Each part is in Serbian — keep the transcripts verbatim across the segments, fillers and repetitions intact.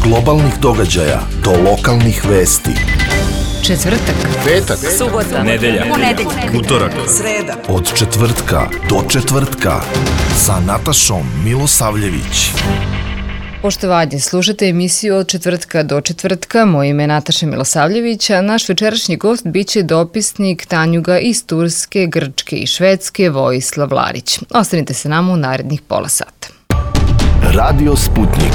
globalnih događaja do lokalnih vesti. Četvrtak, petak, subota, nedelja, ponedeljak, utorak, sreda. Od četvrtka do četvrtka sa Natašom Milosavljević. Poštovanje, slušate emisiju Od četvrtka do četvrtka. Moje ime je Nataša Milosavljević, a naš večerašnji gost biće dopisnik Tanjuga iz Turske, Grčke i Švedske Vojislav Larić. Ostanite sa nama u narednih pola sata. Radio Sputnik.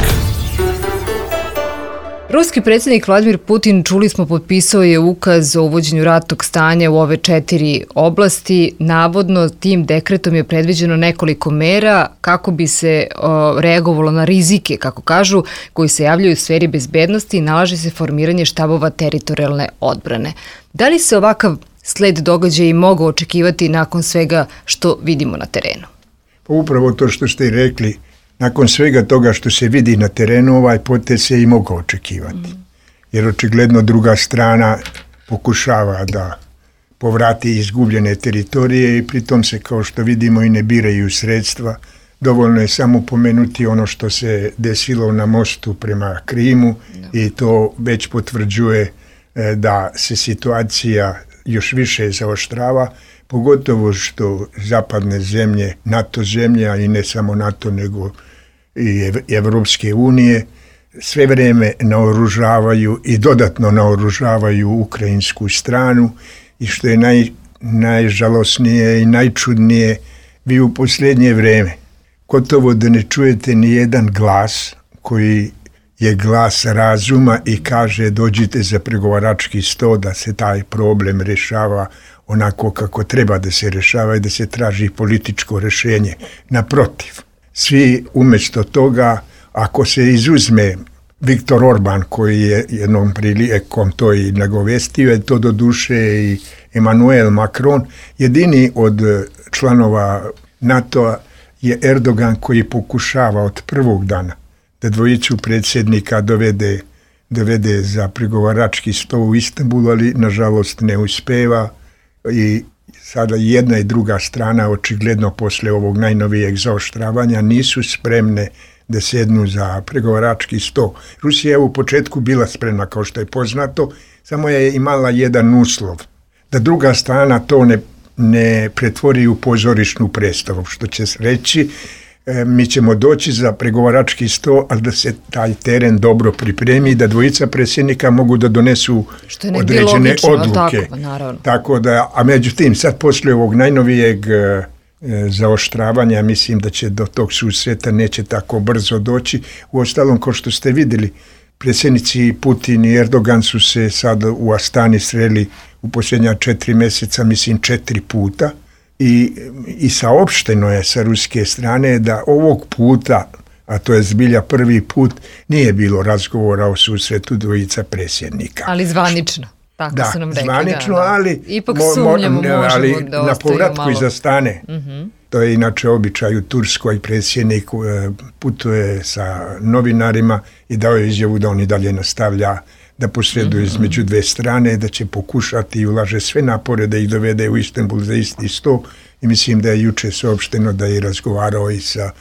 Ruski predsjednik Vladimir Putin, čuli smo, potpisao je ukaz o uvođenju ratnog stanja u ove četiri oblasti. Navodno, tim dekretom je predviđeno nekoliko mera kako bi se o, reagovalo na rizike, kako kažu, koji se javljaju u sferi bezbednosti i nalaže se formiranje štabova teritorijalne odbrane. Da li se ovakav sled događaja i mogu očekivati nakon svega što vidimo na terenu? Pa upravo to što ste i rekli, nakon svega toga što se vidi na terenu, ovaj potez se i mogao očekivati. Mm. Jer očigledno druga strana pokušava da povrati izgubljene teritorije i pritom se, kao što vidimo, i ne biraju sredstva. Dovoljno je samo pomenuti ono što se desilo na mostu prema Krimu no. i to već potvrđuje e, da se situacija još više zaoštrava, pogotovo što zapadne zemlje, NATO zemlje, a i ne samo NATO nego i Evropske unije, sve vrijeme naoružavaju i dodatno naoružavaju ukrajinsku stranu i što je naj, najžalosnije i najčudnije, vi u posljednje vrijeme gotovo da ne čujete ni jedan glas koji je glas razuma i kaže dođite za pregovarački sto da se taj problem rješava onako kako treba da se rješava i da se traži političko rješenje. Naprotiv, svi umjesto toga, ako se izuzme Viktor Orban, koji je jednom prilikom to i nagovestio, je to do duše i Emmanuel Macron, jedini od članova NATO-a je Erdogan, koji pokušava od prvog dana da dvojicu predsjednika dovede, dovede za pregovarački sto u Istanbulu, ali nažalost ne uspeva i sada jedna i druga strana očigledno posle ovog najnovijeg zaoštravanja nisu spremne da sjednu za pregovarački sto. Rusija je u početku bila spremna, kao što je poznato, samo je imala jedan uslov, da druga strana to ne, ne pretvori u pozorišnu predstavu, što će reći e, mi ćemo doći za pregovarački sto, ali da se taj teren dobro pripremi, da dvojica predsjednika mogu da donesu određene logično, odluke. Tako, naravno. Tako da, a međutim, sad poslije ovog najnovijeg e, zaoštravanja, mislim da će do tog susreta neće tako brzo doći. Uostalom, kao što ste vidjeli, predsjednici Putin i Erdogan su se sad u Astani sreli u posljednja četiri mjeseca, mislim četiri puta. I, i saopšteno je sa ruske strane da ovog puta, a to je zbilja prvi put, nije bilo razgovora o susretu dvojica predsjednika. Ali zvanično, tako da, su nam rekli. Zvanično, da, da. ali, ipak sumnjamo, mo, mo, ali da na povratku malo. iza stane. Mm-hmm. To je inače običaj u Turskoj, predsjednik putuje sa novinarima i dao je izjavu da on i dalje nastavlja da posreduje mm-hmm. između dve strane, da će pokušati i ulaže sve napore da ih dovede u Istanbul za isti sto i mislim da je juče saopšteno da je razgovarao i sa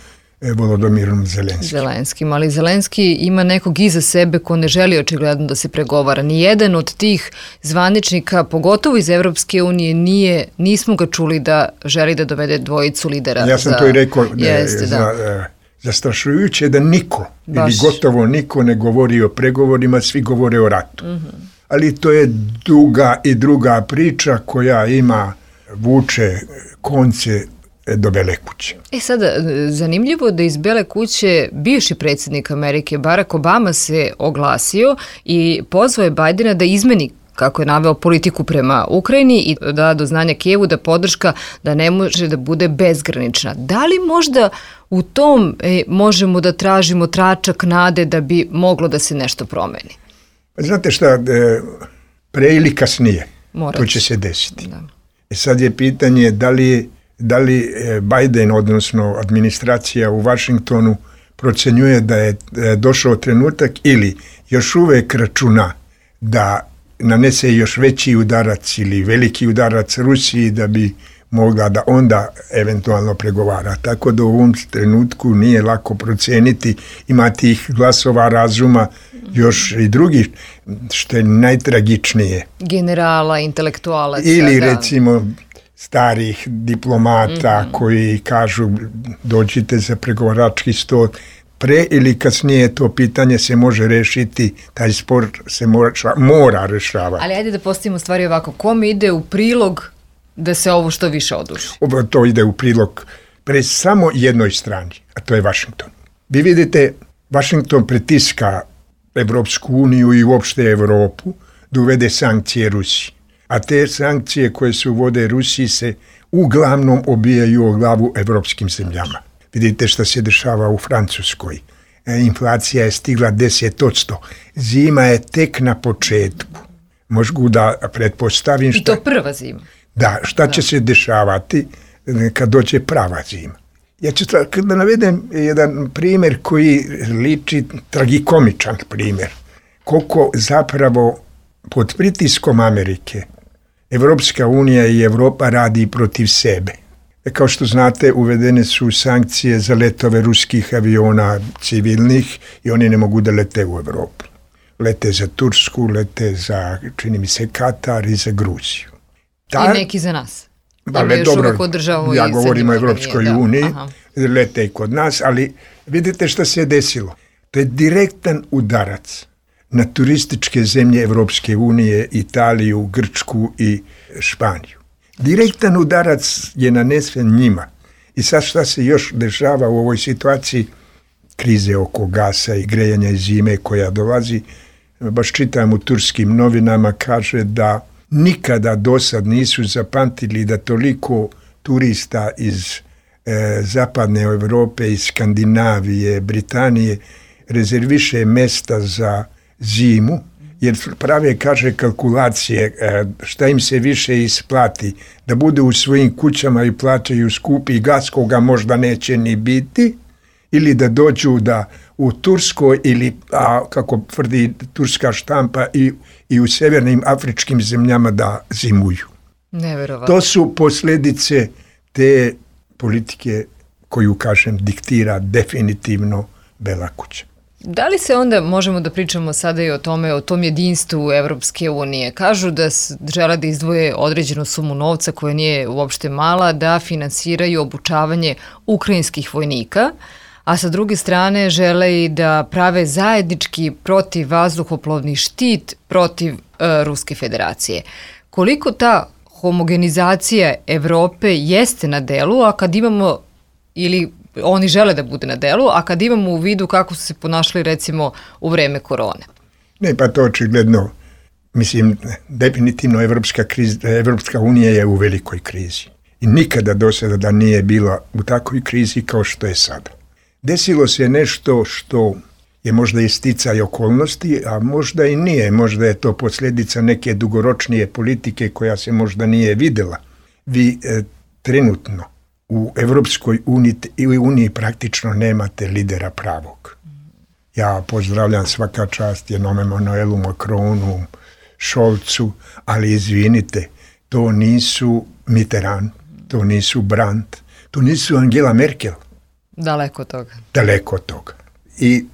Volodimirom Zelenskim. Zelenskim, ali Zelenski ima nekog iza sebe ko ne želi očigledno da se pregovara. Nijedan od tih zvaničnika, pogotovo iz Evropske unije, nije, nismo ga čuli da želi da dovede dvojicu lidera. Ja sam za, to i rekao, da, jeste, za, da. zastrašujuće da niko, Baš. ili gotovo niko ne govori o pregovorima, svi govore o ratu. Mm-hmm. Ali to je duga i druga priča koja ima, vuče konce do Bele kuće. E sada, zanimljivo da iz Bele kuće bivši predsjednik Amerike Barack Obama se oglasio i pozvao je Bajdena da izmeni, kako je naveo, politiku prema Ukrajini i da do znanja Kijevu da podrška da ne može da bude bezgranična. Da li možda u tom e, možemo da tražimo tračak nade da bi moglo da se nešto promeni? Znate šta, e, pre ili kasnije Morat. To će se desiti. Da. E sad je pitanje da li da li Biden, odnosno administracija u Washingtonu, procjenjuje da je došao trenutak ili još uvijek računa da nanese još veći udarac ili veliki udarac Rusiji da bi mogla da onda eventualno pregovara. Tako da u ovom trenutku nije lako procijeniti, ima tih glasova razuma još i drugi, što je najtragičnije. Generala, intelektualaca. Ili da. recimo starih diplomata mm-hmm. koji kažu dođite za pregovarački stol. Pre ili kasnije to pitanje se može rešiti, taj spor se mora, mora rešavati. Ali ajde da postavimo stvari ovako, kome ide u prilog da se ovo što više oduži? Ovo to ide u prilog pre samo jednoj strani, a to je Vašington. Vi vidite, Vašington pritiska Evropsku uniju i uopšte Evropu da uvede sankcije Rusiji. A te sankcije koje se uvode Rusiji se uglavnom obijaju o glavu evropskim zemljama. Vidite što se dešava u Francuskoj. E, inflacija je stigla deset posto. Zima je tek na početku. Možgu da pretpostavim šta... I to prva zima. Da, šta da. će se dešavati kad dođe prava zima. Ja ću da navedem jedan primjer koji liči tragikomičan primjer. Koliko zapravo pod pritiskom Amerike Evropska unija i Evropa radi protiv sebe. Kao što znate, uvedene su sankcije za letove ruskih aviona civilnih i oni ne mogu da lete u Evropu. Lete za Tursku, lete za, čini mi se, Katar i za Gruziju. Ta, I neki za nas. Ali dobro, ja govorim o Evropskoj da. uniji, Aha. lete i kod nas, ali vidite što se je desilo. To je direktan udarac na turističke zemlje Evropske unije, Italiju, Grčku i Španiju. Direktan udarac je nanesen njima. I sad šta se još dešava u ovoj situaciji krize oko gasa i grejanja i zime koja dolazi, baš čitam u turskim novinama, kaže da nikada do sad nisu zapamtili da toliko turista iz e, zapadne Evrope, iz Skandinavije, Britanije rezerviše mesta za zimu, jer prave, kaže, kalkulacije šta im se više isplati, da bude u svojim kućama i plaćaju skupi gas koga možda neće ni biti, ili da dođu da u Turskoj ili, a, kako tvrdi turska štampa, i, i u severnim afričkim zemljama da zimuju. Neverovatno. To su posljedice te politike koju, kažem, diktira definitivno Bela kuća. Da li se onda možemo da pričamo sada i o tome, o tom jedinstvu Evropske unije? Kažu da žele da izdvoje određenu sumu novca koja nije uopšte mala, da finansiraju obučavanje ukrajinskih vojnika, a sa druge strane žele i da prave zajednički protivvazduhoplovni štit protiv e, Ruske federacije. Koliko ta homogenizacija Evrope jeste na delu, a kad imamo, ili oni žele da bude na delu, a kad imamo u vidu kako su se ponašali recimo u vreme korone? Ne, pa to očigledno, mislim, definitivno Evropska, kriz, Evropska unija je u velikoj krizi. I nikada do sada da nije bila u takvoj krizi kao što je sada. Desilo se nešto što je možda i sticaj okolnosti, a možda i nije. Možda je to posljedica neke dugoročnije politike koja se možda nije videla. Vi e, trenutno u Evropskoj uniji, uniji praktično nemate lidera pravog. Ja pozdravljam svaka čast jednom Emanuelu Macronu, Scholzu, ali izvinite, to nisu Mitterrand, to nisu Brandt, to nisu Angela Merkel. Daleko od toga. Daleko od toga. I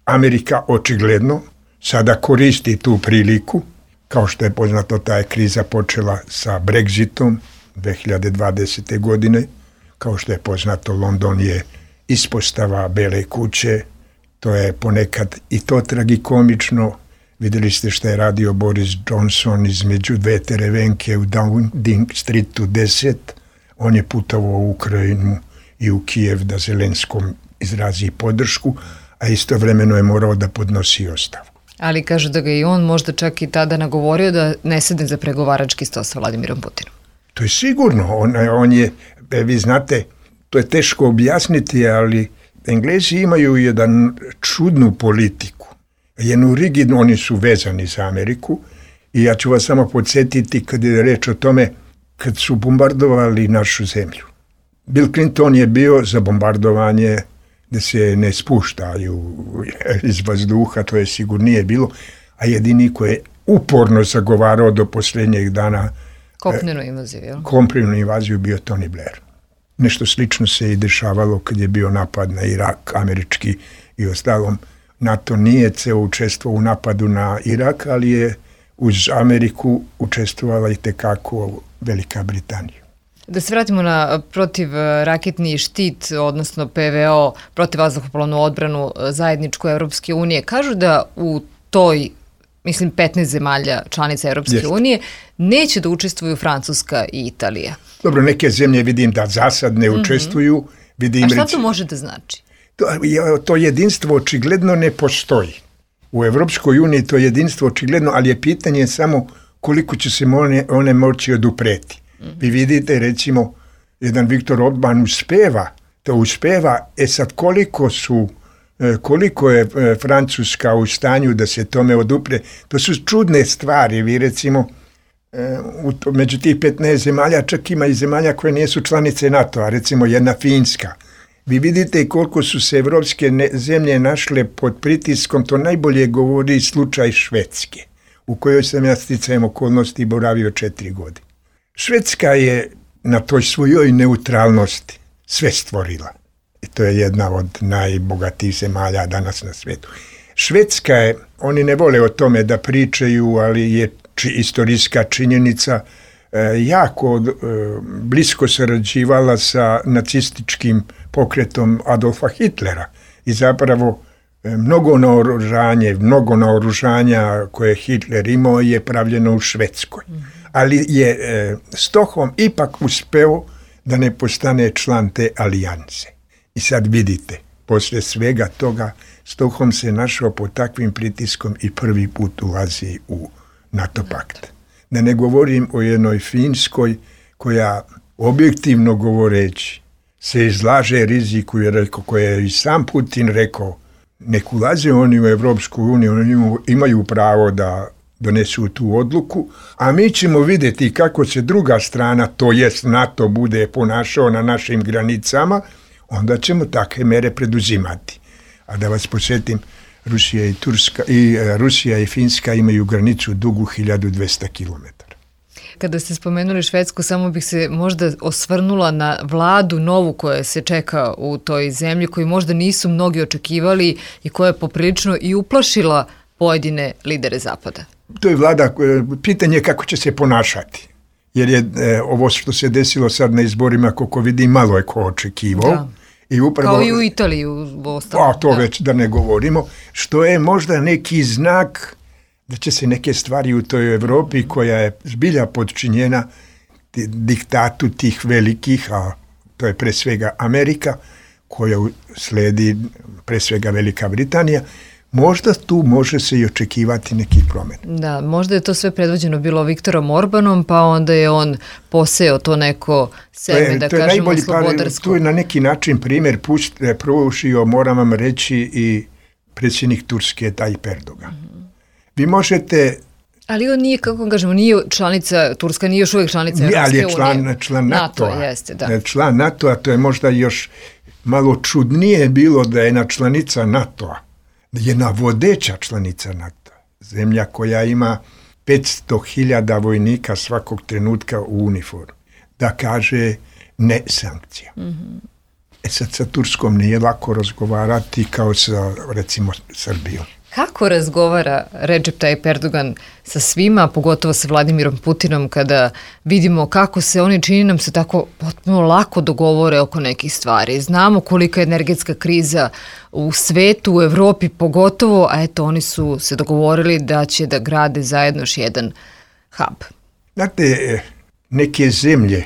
Amerika očigledno sada koristi tu priliku, kao što je poznato, ta je kriza počela sa Brexitom dve hiljade dvadesete. godine, kao što je poznato, London je ispostava Bele kuće, to je ponekad i to tragikomično. Vidjeli ste što je radio Boris Johnson između dve terevenke u Downing Streetu deset, on je putovao u Ukrajinu i u Kijev da Zelenskom izrazi podršku, a istovremeno je morao da podnosi ostavku. Ali kažu da ga i on možda čak i tada nagovorio da ne sedne za pregovarački sto sa Vladimirom Putinom. To je sigurno. On, on je, vi znate, to je teško objasniti, ali Englezi imaju jedan čudnu politiku. Jednu rigidnu, oni su vezani za Ameriku, i ja ću vas samo podsjetiti kad je reč o tome, kad su bombardovali našu zemlju. Bill Clinton je bio za bombardovanje da se ne spuštaju iz vazduha, to je sigurno nije bilo, a jedini koji je uporno zagovarao do posljednjeg dana kopnenu invaziju, jel? Kopnenu invaziju bio Tony Blair. Nešto slično se i dešavalo kad je bio napad na Irak, američki i ostalom. NATO nije ceo učestvovao u napadu na Irak, ali je uz Ameriku učestvovala i tekako Velika Britanija. Da se vratimo na protivraketni štit, odnosno P V O, protivvazduhoplovnu odbranu zajedničku Evropske unije. Kažu da u toj, mislim, petnaest zemalja članica Evropske Jest. unije neće da učestvuju Francuska i Italija. Dobro, neke zemlje vidim da za sad ne mm-hmm. učestvuju. Vidim, A šta to može da znači? To, to jedinstvo očigledno ne postoji. U Evropskoj uniji to jedinstvo očigledno, ali je pitanje samo koliko će se one, one moći odupreti. Mm-hmm. Vi vidite, recimo, jedan Viktor Orban uspeva, to uspeva, e sad koliko su, koliko je Francuska u stanju da se tome odupre, to su čudne stvari. Vi recimo, među tih petnaest zemalja čak ima i zemalja koje nisu članice NATO-a, recimo jedna Finska. Vi vidite koliko su se evropske ne, zemlje našle pod pritiskom, to najbolje govori slučaj Švedske, u kojoj sam ja sticajem okolnosti boravio četiri godine. Švedska je na toj svojoj neutralnosti sve stvorila. I to je jedna od najbogatijih zemalja danas na svijetu. Švedska je, oni ne vole o tome da pričaju, ali je či, istorijska činjenica, e, jako e, blisko sarađivala sa nacističkim pokretom Adolfa Hitlera. I zapravo e, mnogo naoružanje, mnogo naoružanja koje Hitler imao je pravljeno u Švedskoj. Ali je e, Stockholm ipak uspeo da ne postane član te alijanse. I sad vidite, poslije svega toga, Stockholm se našao pod takvim pritiskom i prvi put ulazi u NATO pakt. Da ne govorim o jednoj Finskoj koja, objektivno govoreći, se izlaže riziku, jer rekao, koje je i sam Putin rekao, nek ulaze oni u Evropsku uniju, oni imaju pravo da donesu tu odluku, a mi ćemo vidjeti kako se druga strana, to jest NATO, bude ponašao na našim granicama, onda ćemo takve mere preduzimati. A da vas posjetim, Rusija i, Turska, i Rusija i Finska imaju granicu dugu hiljadu dvesta kilometara. Kada ste spomenuli Švedsku, samo bih se možda osvrnula na vladu novu koja se čeka u toj zemlji, koju možda nisu mnogi očekivali i koja je poprilično i uplašila pojedine lidere Zapada. To je vlada, pitanje kako će se ponašati. Jer je e, ovo što se desilo sad na izborima, koliko vidim, malo je ko očekivao. Da. I upravo, kao i u Italiji u ostalom. A to da. Već da ne govorimo. Što je možda neki znak da će se neke stvari u toj Evropi, koja je zbilja podčinjena diktatu tih velikih, a to je pre svega Amerika, koja sledi pre svega Velika Britanija, možda tu može se i očekivati nekih promjena. Da, možda je to sve predvođeno bilo Viktorom Orbanom, pa onda je on poseo to neko seme, da kažemo, slobodarsko. Tu je na neki način primjer pružio, moram vam reći, i predsjednik Turske Tayyip Erdogan. Mm-hmm. Vi možete... Ali on nije, kako kažemo, nije članica, Turska nije još uvijek članica Evropske unije. Ali je član, član NATO-a. NATO, jeste, da. Član NATO-a, to je možda još malo čudnije bilo da je jedna članica NATO-a, jedna vodeća članica NATO, zemlja koja ima petsto hiljada vojnika svakog trenutka u uniformi, da kaže ne sankcija. Mm-hmm. E sad sa Turskom nije lako razgovarati kao sa, recimo, Srbijom. Kako razgovara Recep Tayyip Erdogan sa svima, pogotovo sa Vladimirom Putinom, kada vidimo kako se oni, čini nam se, tako potpuno lako dogovore oko nekih stvari? Znamo kolika je energetska kriza u svetu, u Evropi pogotovo, a eto oni su se dogovorili da će da grade zajedno još jedan hub. Znate, neke zemlje,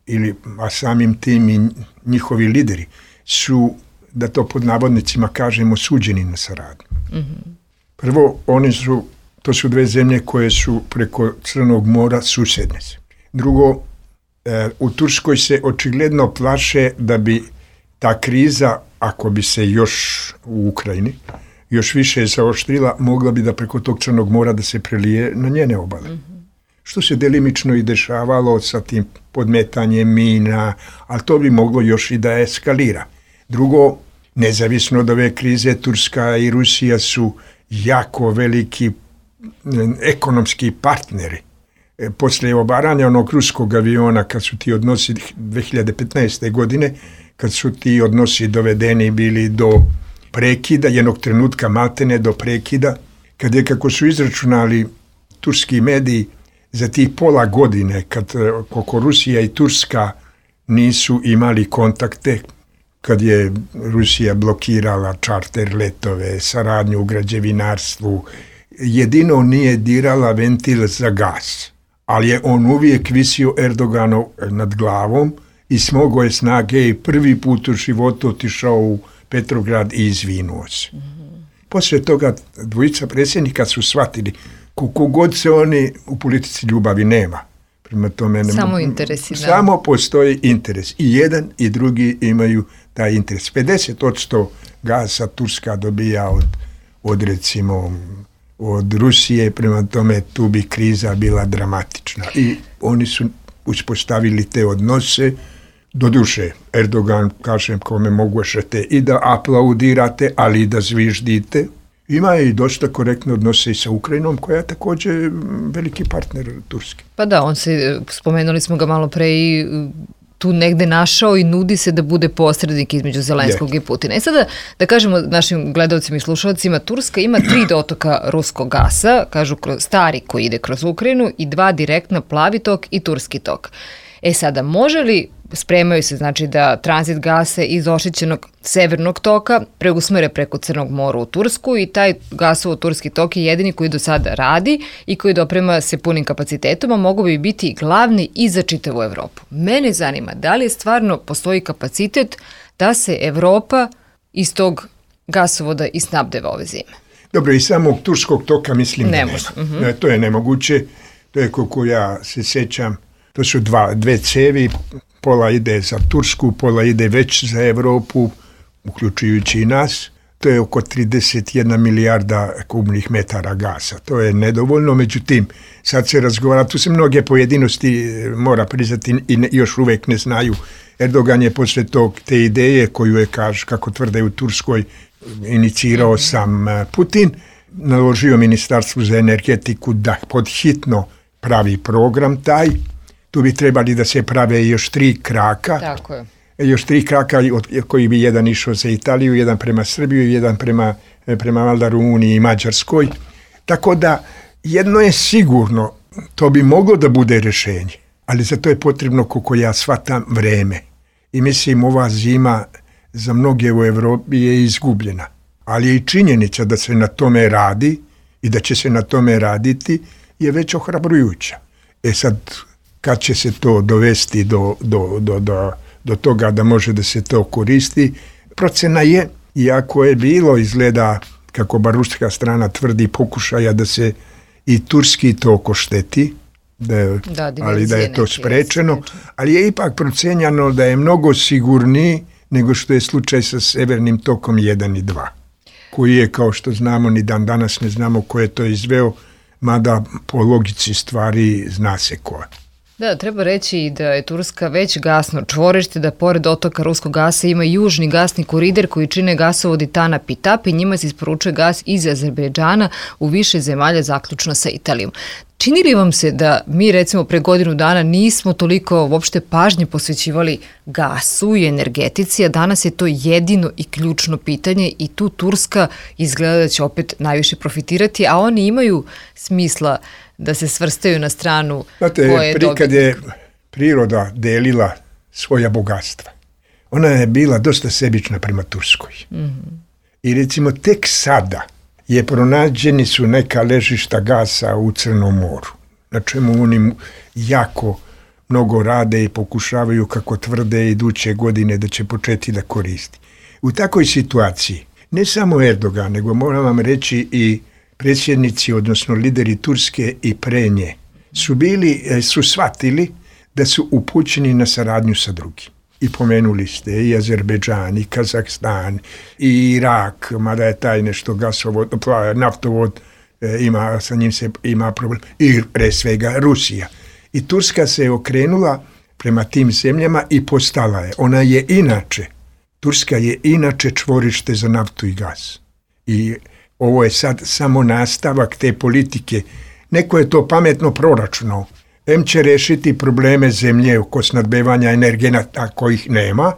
ili, a samim tim i njihovi lideri, su, da to pod navodnicima kažemo, suđeni na saradnju. Mm-hmm. Prvo, oni su, to su dve zemlje koje su preko Crnog mora susjedne. Drugo, e, u Turskoj se očigledno plaše da bi ta kriza, ako bi se još u Ukrajini, još više zaoštrila, mogla bi da preko tog Crnog mora da se prelije na njene obale. Mm-hmm. Što se delimično i dešavalo sa tim podmetanjem mina, ali to bi moglo još i da eskalira. Drugo, nezavisno od ove krize, Turska i Rusija su jako veliki ekonomski partneri. E, poslije obaranja onog ruskog aviona, kad su ti odnosi dve hiljade petnaeste. godine, kad su ti odnosi dovedeni bili do prekida, jednog trenutka maltene do prekida, kad je, kako su izračunali turski mediji, za tih pola godine, kad koliko Rusija i Turska nisu imali kontakte, kad je Rusija blokirala čarter letove, saradnju u građevinarstvu, jedino nije dirala ventil za gas, ali je on uvijek visio Erdoganov nad glavom i smogao je snage i prvi put u životu otišao u Petrograd i izvinuo se. Mm-hmm. Poslije toga dvojica predsjednika su shvatili koliko god se oni u politici ljubavi nema. Prema tome, samo interesi. Samo postoji interes. I jedan i drugi imaju taj interes. pedeset posto gasa Turska dobija od, od recimo od Rusije, prema tome tu bi kriza bila dramatična. I oni su uspostavili te odnose. Doduše, Erdogan, kažem, kome mogućete i da aplaudirate, ali i da zviždite. Ima i dosta korektne odnose i sa Ukrajinom, koja je također veliki partner Turske. Pa da, on se, spomenuli smo ga malo pre i tu negde našao i nudi se da bude posrednik između Zelenskog je. i Putina. E sada, da kažemo našim gledalcima i slušalcima, Turska ima tri dotoka ruskog gasa, kažu kroz, stari koji ide kroz Ukrajinu i dva direktna, plavi tok i turski tok. E sada, može li, spremaju se znači da tranzit gasa iz ošićenog severnog toka preusmere preko Crnog mora u Tursku i taj gasovo turski tok je jedini koji do sada radi i koji doprema se punim kapacitetom, a mogu bi biti glavni i za čitavu Evropu. Mene zanima da li je stvarno postoji kapacitet da se Evropa iz tog gasovoda i snabdeva ove zime. Dobro, i samog turskog toka mislim ne da može. nema. Uh-huh. To je nemoguće, to je koliko ja se sjećam. To su dva, dve cevi, pola ide za Tursku, pola ide već za Evropu, uključujući i nas. To je oko trideset jedna milijarda kubnih metara gasa. To je nedovoljno, međutim, sad se razgovara, tu se mnoge pojedinosti mora priznati i ne, još uvijek ne znaju. Erdogan je poslije tog, te ideje koju je, kaž, kako tvrde u Turskoj, inicirao sam Putin, naložio Ministarstvu za energetiku da podhitno pravi program taj. Tu bi trebali da se prave još tri kraka. Tako je. Još tri kraka od koji bi jedan išao za Italiju, jedan prema Srbiju, jedan prema, prema valjda Rumuniji i Mađarskoj. Tako da jedno je sigurno, to bi moglo da bude rješenje, ali za to je potrebno, koliko ja shvatam, vreme. I mislim, ova zima za mnoge u Evropi je izgubljena. Ali je i činjenica da se na tome radi i da će se na tome raditi je već ohrabrujuća. E sad, kad će se to dovesti do, do, do, do, do toga da može da se to koristi, procena je, iako je bilo, izgleda, kako bar ruska strana tvrdi, pokušaja da se i turski tok ošteti, da, da, ali da je to sprečeno, ali je ipak procenjano da je mnogo sigurniji nego što je slučaj sa severnim tokom jedan i dva, koji je, kao što znamo, ni dan danas ne znamo ko je to izveo, mada po logici stvari zna se ko. Da, treba reći da je Turska već gasno čvorište, da pored otoka ruskog gasa ima južni gasni koridor koji čine gasovodi Tanap i Tap i njima se isporučuje gas iz Azerbejdžana u više zemalja, zaključno sa Italijom. Čini li vam se da mi recimo pre godinu dana nismo toliko uopšte pažnje posvećivali gasu i energetici, a danas je to jedino i ključno pitanje i tu Turska izgleda da će opet najviše profitirati, a oni imaju smisla da se svrstaju na stranu Znate, koje je dobitnik. Kad je priroda delila svoja bogatstva, ona je bila dosta sebična prema Turskoj. Mm-hmm. I recimo tek sada je pronađeni su neka ležišta gasa u Crnom moru, na čemu oni jako mnogo rade i pokušavaju, kako tvrde, iduće godine da će početi da koristi. U takvoj situaciji, ne samo Erdogan, nego moram vam reći i predsjednici, odnosno lideri Turske i pre nje, su bili, su shvatili da su upućeni na saradnju sa drugim. I pomenuli ste i Azerbejdžan, i Kazahstan, i Irak, mada je taj nešto gasovod, naftovod, ima, sa njim se ima problem, i pre svega Rusija. I Turska se je okrenula prema tim zemljama i postala je. Ona je inače, Turska je inače čvorište za naftu i gas. I ovo je sad samo nastavak te politike. Neko je to pametno proračunao. Em će rešiti probleme zemlje oko snadbevanja energenata kojih nema,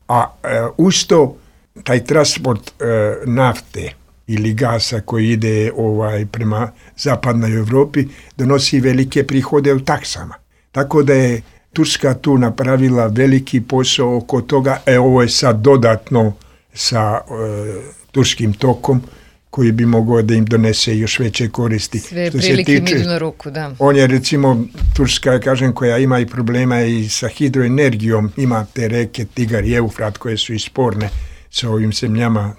a e, uz to taj transport e, nafte ili gasa koji ide ovaj prema zapadnoj Evropi donosi velike prihode u taksama. Tako da je Turska tu napravila veliki posao oko toga. E, ovo je sad dodatno sa e, turskim tokom koji bi mogao da im donese još veće koristi. Sve prilike im idu na ruku, da. On je, recimo, Turska, kažem, koja ima i problema i sa hidroenergijom, ima te reke Tigar i Eufrat koje su i sporne sa ovim zemljama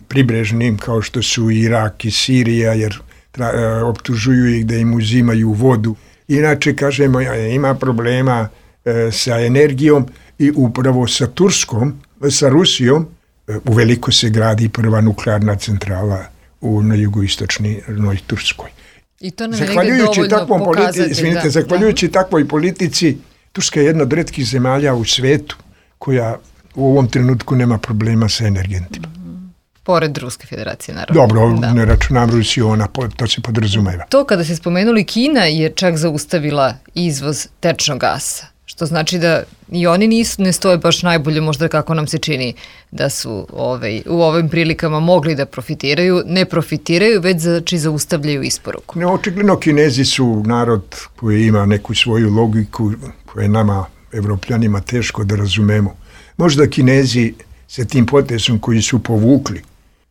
pribrežnim, kao što su Irak i Sirija, jer tra, e, optužuju ih da im uzimaju vodu. Inače, kažemo, ima problema e, sa energijom i upravo sa Turskom, sa Rusijom, u veliko se gradi prva nuklearna centrala u, na jugoistočnoj Turskoj. I to nam je negdje dovoljno pokazati. Izvinite, da, zahvaljujući da. takvoj politici, Turska je jedna od retkih zemalja u svetu koja u ovom trenutku nema problema sa energentima. Mm-hmm. Pored Ruske federacije, naravno. Dobro, da. ne računam Rusiju, ona, to se podrazumeva. To kada ste spomenuli, Kina je čak zaustavila izvoz tečnog gasa. Što znači da i oni nisu, ne stoje baš najbolje, možda kako nam se čini da su ovaj, u ovim prilikama mogli da profitiraju. Ne profitiraju, već znači zaustavljaju isporuku. Ne, očigledno Kinezi su narod koji ima neku svoju logiku koja je nama, Evropljanima, teško da razumemo. Možda Kinezi sa tim potezom koji su povukli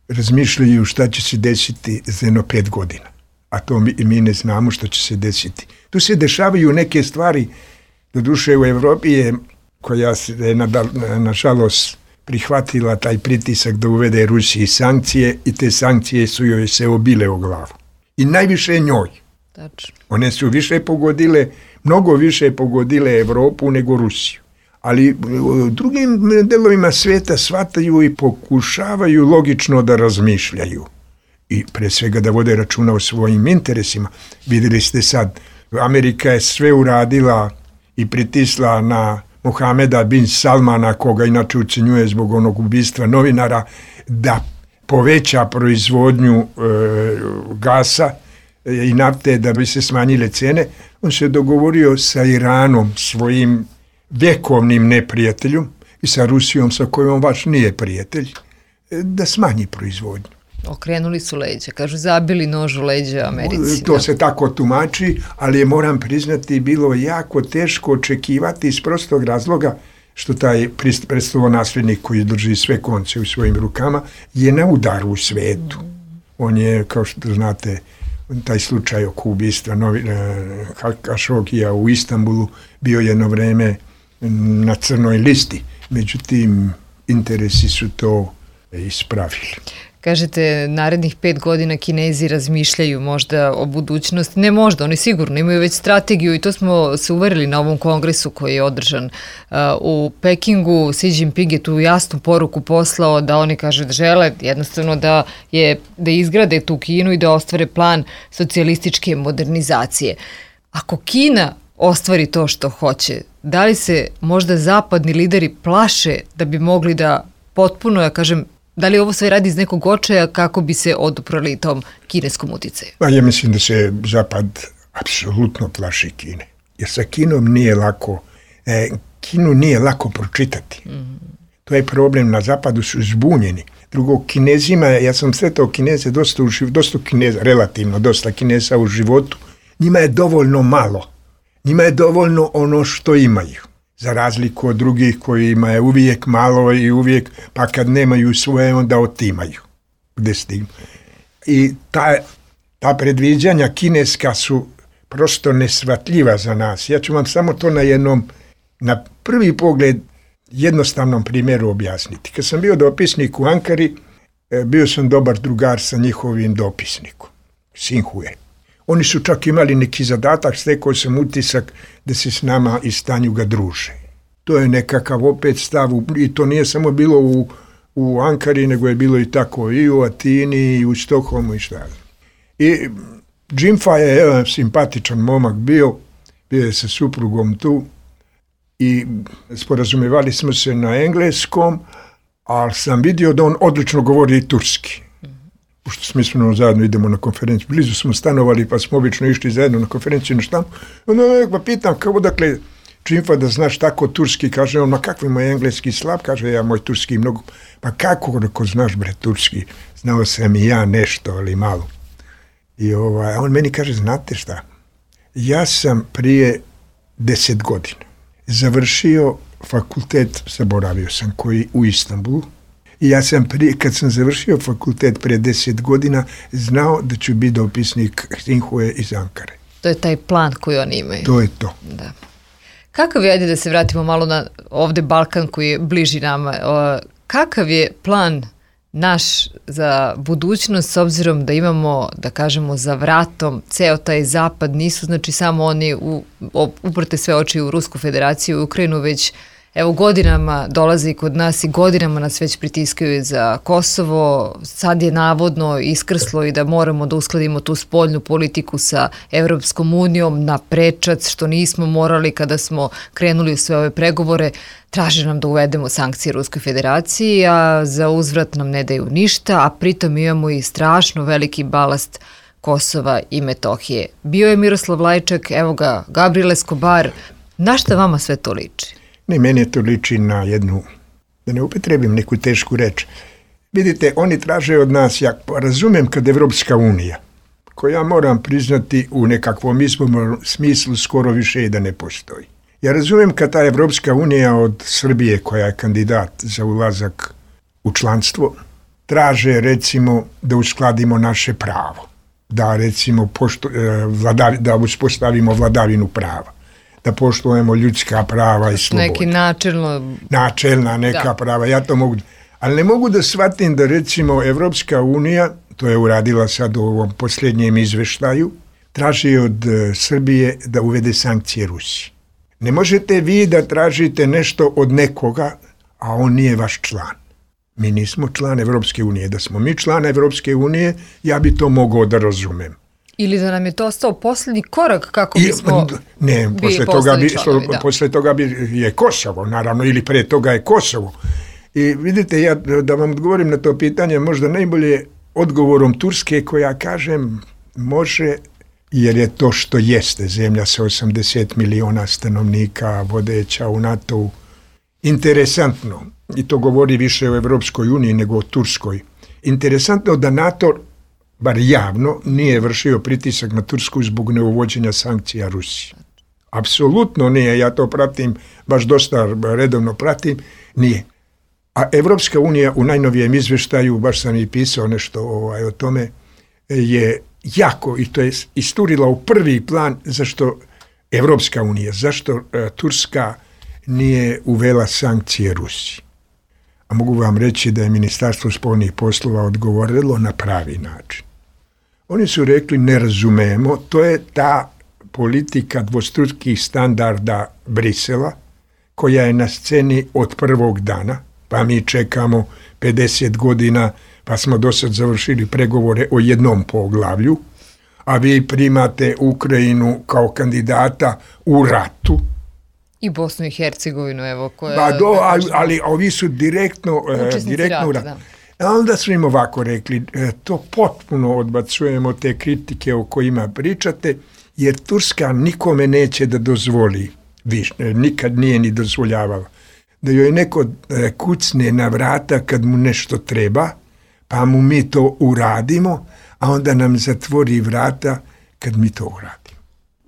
razmišljaju šta će se desiti za jedno pet godina. A to mi, mi ne znamo šta će se desiti. Tu se dešavaju neke stvari. Doduše u Evropi je, koja je nažalost prihvatila taj pritisak da uvede Rusiji sankcije i te sankcije su joj se obile o glavu. I najviše njoj. Tačno. One su više pogodile, mnogo više pogodile Evropu nego Rusiju. Ali u drugim delovima svijeta shvataju i pokušavaju logično da razmišljaju. I pre svega da vode računa o svojim interesima. Vidjeli ste sad, Amerika je sve uradila i pritisla na Mohameda bin Salmana, koga inače ucenjuje zbog onog ubistva novinara, da poveća proizvodnju e, gasa i nafte da bi se smanjile cene. On se dogovorio sa Iranom, svojim vjekovnim neprijateljom, i sa Rusijom, sa kojom baš nije prijatelj, da smanji proizvodnju. Okrenuli su leđa, kažu zabili nož u leđa Americi. To da. se tako tumači, ali je, moram priznati, bilo jako teško očekivati iz prostog razloga što taj prestolonaslednik koji drži sve konce u svojim rukama je na udaru u svetu. On je, kao što znate, taj slučaj oko ubistva Kašogija u Istanbulu bio jedno vreme na crnoj listi. Međutim, interesi su to ispravili. Kažete, narednih pet godina Kinezi razmišljaju možda o budućnosti. Ne možda, oni sigurno imaju već strategiju i to smo se uverili na ovom kongresu koji je održan uh, u Pekingu. Xi Jinping je tu jasnu poruku poslao da oni, kaže, da žele jednostavno da, je, da izgrade tu Kinu i da ostvare plan socijalističke modernizacije. Ako Kina ostvari to što hoće, da li se možda zapadni lideri plaše da bi mogli da potpuno, ja kažem, da li ovo sve radi iz nekog očaja kako bi se oduprali tom kineskom uticaju? Pa ja mislim da se Zapad apsolutno plaši Kine. Jer sa Kinom nije lako, e, Kinu nije lako pročitati. Mm. To je problem, na Zapadu su zbunjeni. Drugo, Kinezima, ja sam sretao Kineze, dosta, u, dosta Kineza, relativno dosta Kineza u životu, njima je dovoljno malo. Njima je dovoljno ono što imaju. Za razliku od drugih kojima je uvijek malo i uvijek, pa kad nemaju svoje, onda otimaju. Gde stignu. I ta, ta predviđanja kineska su prosto nesvatljiva za nas. Ja ću vam samo to na jednom, na prvi pogled, jednostavnom primjeru objasniti. Kad sam bio dopisnik u Ankari, bio sam dobar drugar sa njihovim dopisnikom, Sinhue. Oni su čak imali neki zadatak, stekao sam utisak da se s nama i stanju ga druže. To je nekakav opet stav, i to nije samo bilo u, u Ankari, nego je bilo i tako i u Atini, i u Stokholmu i šta. I Džimfa je jedan simpatičan momak bio, bio je sa suprugom tu i sporazumevali smo se na engleskom, ali sam vidio da on odlično govori i turski. Pošto smo ispravno zajedno idemo na konferenciju. Blizu smo stanovali, pa smo obično išli zajedno na konferenciju na štampu. Onda nekako pitam, kao dakle, Čimfa da znaš tako turski, kaže on, ma kakvi moj engleski slab, kaže ja moj turski mnogo, pa kako ako znaš bre turski, znao sam i ja nešto, ali malo. I ovaj, on meni kaže, znate šta, ja sam prije deset godina završio fakultet, zaboravio sam koji, u Istanbulu, i ja sam prije, kad sam završio fakultet prije deset godina, znao da ću biti dopisnik Sinhue iz Ankare. To je taj plan koji oni imaju. To je to. Da. Kakav je, ajde da se vratimo malo na ovde Balkan koji je bliži nama, o, kakav je plan naš za budućnost s obzirom da imamo, da kažemo, za vratom ceo taj zapad, nisu znači samo oni u, uprte sve oči u Rusku federaciju i Ukrajinu, već evo godinama dolaze i kod nas i godinama nas već pritiskaju za Kosovo, sad je navodno iskrslo i da moramo da uskladimo tu spoljnu politiku sa Evropskom unijom na prečac, što nismo morali kada smo krenuli u sve ove pregovore, traže nam da uvedemo sankcije Ruskoj federaciji, a za uzvrat nam ne daju ništa, a pritom imamo i strašno veliki balast Kosova i Metohije. Bio je Miroslav Lajčak, evo ga, Gabriel Escobar, na šta vama sve to liči? Ne, meni to liči na jednu, da ne upotrebim neku tešku reč. Vidite, oni traže od nas, ja razumem kad Evropska unija, koja moram priznati u nekakvom smislu skoro više i da ne postoji. Ja razumem kad ta Evropska unija od Srbije, koja je kandidat za ulazak u članstvo, traže recimo da uskladimo naše pravo, da recimo pošto, vladavi, da uspostavimo vladavinu prava, da poštujemo ljudska prava i slobode. Neki načelno... Načelna neka da. prava, ja to mogu... Ali ne mogu da shvatim da recimo Evropska unija, to je uradila sad u ovom posljednjem izveštaju, traži od uh, Srbije da uvede sankcije Rusiji. Ne možete vi da tražite nešto od nekoga, a on nije vaš član. Mi nismo član Evropske unije. Da smo mi član Evropske unije, ja bi to mogao da razumem. Ili da nam je to ostao posljednji korak kako bismo I, ne, posle toga, bi, članovi, da. posle toga bi je Kosovo, naravno, ili pre toga je Kosovo. I vidite, ja da vam odgovorim na to pitanje, možda najbolje odgovorom Turske, koja kažem može, jer je to što jeste, zemlja sa osamdeset miliona stanovnika, vodeća u NATO-u, interesantno, i to govori više o Evropskoj uniji nego o Turskoj, interesantno da NATO, bar javno, nije vršio pritisak na Tursku zbog neuvođenja sankcija Rusiji. Apsolutno nije, ja to pratim, baš dosta redovno pratim, nije. A Evropska unija u najnovijem izveštaju, baš sam i pisao nešto ovaj, o tome, je jako, i to je isturila u prvi plan, zašto Evropska unija, zašto uh, Turska nije uvela sankcije Rusiji. A mogu vam reći da je Ministarstvo spoljnih poslova odgovorilo na pravi način. Oni su rekli, ne razumemo, to je ta politika dvostrukih standarda Brisela, koja je na sceni od prvog dana, pa mi čekamo pedeset godina, pa smo do sad završili pregovore o jednom poglavlju, a vi primate Ukrajinu kao kandidata u ratu. I Bosnu i Hercegovinu, evo, koja... Ba do, ali, ali ovi su direktno, direktno u ratu. A onda su im ovako rekli, to potpuno odbacujemo te kritike o kojima pričate, jer Turska nikome neće da dozvoli, viš, nikad nije ni dozvoljavala, da joj neko kucne na vrata kad mu nešto treba, pa mu mi to uradimo, a onda nam zatvori vrata kad mi to uradimo.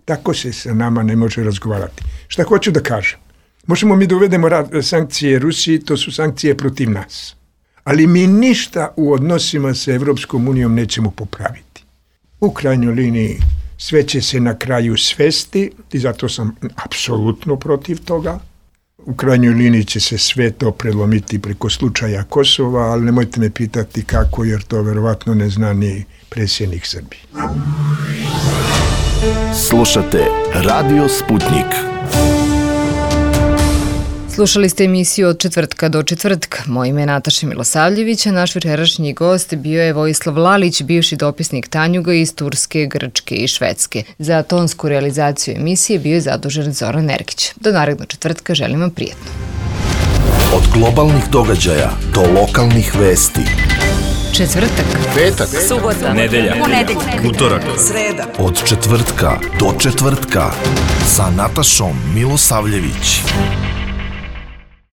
Tako se sa nama ne može razgovarati. Šta hoću da kažem? Možemo mi da uvedemo sankcije Rusiji, to su sankcije protiv nas. Ali mi ništa u odnosima sa Evropskom unijom nećemo popraviti. U krajnjoj liniji sve će se na kraju svesti i zato sam apsolutno protiv toga. U krajnjoj liniji će se sve to prelomiti preko slučaja Kosova, ali nemojte me pitati kako, jer to verovatno ne zna ni predsjednik Srbije. Slušate Radio Sputnik. Slušali ste emisiju Od četvrtka do četvrtka. Moje ime je Nataša Milosavljević, a naš večerašnji gost bio je Vojislav Lalić, bivši dopisnik Tanjuga iz Turske, Grčke i Švedske. Za tonsku realizaciju emisije bio je zadužen Zoran Ergić. Do narednog četvrtka želim vam prijetno. Od globalnih događaja do lokalnih vesti. Četvrtak, Petak, subota, nedelja, ponedeljak, utorak, sreda. od četvrtka do četvrtka sa Natašom Milosavljević.